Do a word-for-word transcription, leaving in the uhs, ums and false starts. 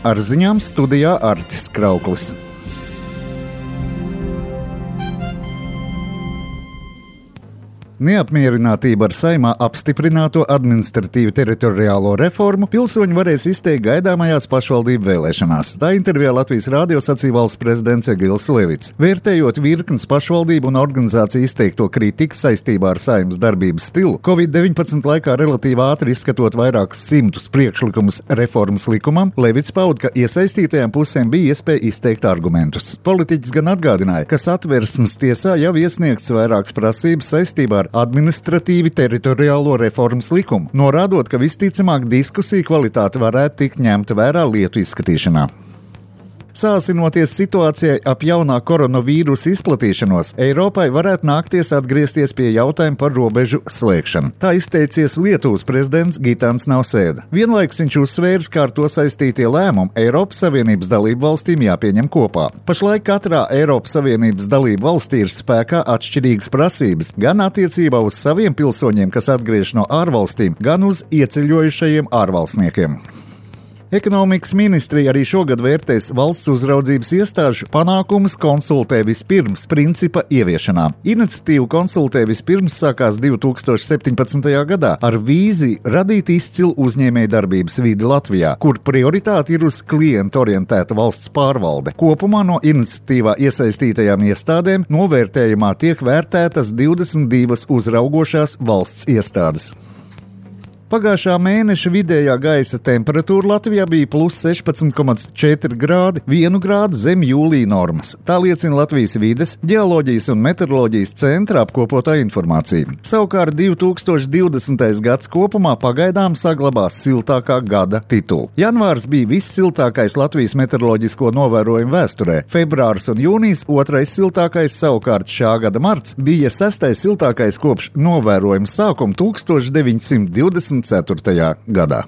Ar ziņām studijā Artis Krauklis. Neapmierinātība ar Saeimā apstiprināto administratīvu teritoriālo reformu pilsoņi varēs izteikt gaidāmajās pašvaldību vēlēšanās. Tā intervijā Latvijas rādio sacīja valsts prezidents Egils Levits. Vērtējot virknes pašvaldību un organizāciju izteikto kritiku saistībā ar Saeimas darbības stilu, covid deviņpadsmit laikā relatīvi ātri izskatot vairākus simtus priekšlikumus reformas likumam, Levits pauda, ka iesaistītajām pusēm bija iespēja izteikt argumentus. Politiķis gan atgādināja, ka Satversmes tiesā jau iesniegts vairākas prasības saistībā ar administratīvi teritoriālo reformas likumu, norādot, ka visticamāk diskusiju kvalitāte varētu tikt ņemta vērā lietu izskatīšanā. Sāsinoties situācijai ap jaunā koronavīrusa izplatīšanos, Eiropai varētu nākties atgriezties pie jautājuma par robežu slēgšanu. Tā izteicies Lietuvas prezidents Gitans Nausēda. Vienlaikus viņš uzsvērs, kā ar to saistītie lēmumi Eiropas Savienības dalību valstīm jāpieņem kopā. Pašlaik katrā Eiropas Savienības dalību valstī ir spēkā atšķirīgas prasības, gan attiecībā uz saviem pilsoņiem, kas atgriež no ārvalstīm, gan uz ieceļojušajiem ārvalstniekiem. Ekonomikas ministrija arī šogad vērtēs valsts uzraudzības iestāžu panākumus konsultē vispirms principa ieviešanā. Iniciatīva konsultē vispirms sākās divi tūkstoši septiņpadsmitajā gadā ar vīziju radīt izcilu uzņēmējdarbības vidi Latvijā, kur prioritāte ir uz klientu orientēta valsts pārvalde. Kopumā no iniciatīvā iesaistītajām iestādēm novērtējumā tiek vērtētas divdesmit divas uzraugošās valsts iestādes. Pagājušā mēneša vidējā gaisa temperatūra Latvijā bija plus sešpadsmit komats četri grādi, vienu grādu zem jūlija normas. Tā liecina Latvijas vides, ģeoloģijas un meteoroloģijas centra apkopotā informācija. Savukārt divi tūkstoši divdesmitais gads kopumā pagaidām saglabās siltākā gada titulu. Janvārs bija vissiltākais Latvijas meteoroloģisko novērojumu vēsturē. Februārs un jūnijas otrais siltākais, savukārt šā gada marts bija sestais siltākais kopš novērojuma sākuma tūkstoš deviņsimt divdesmit ceturtajā gadā.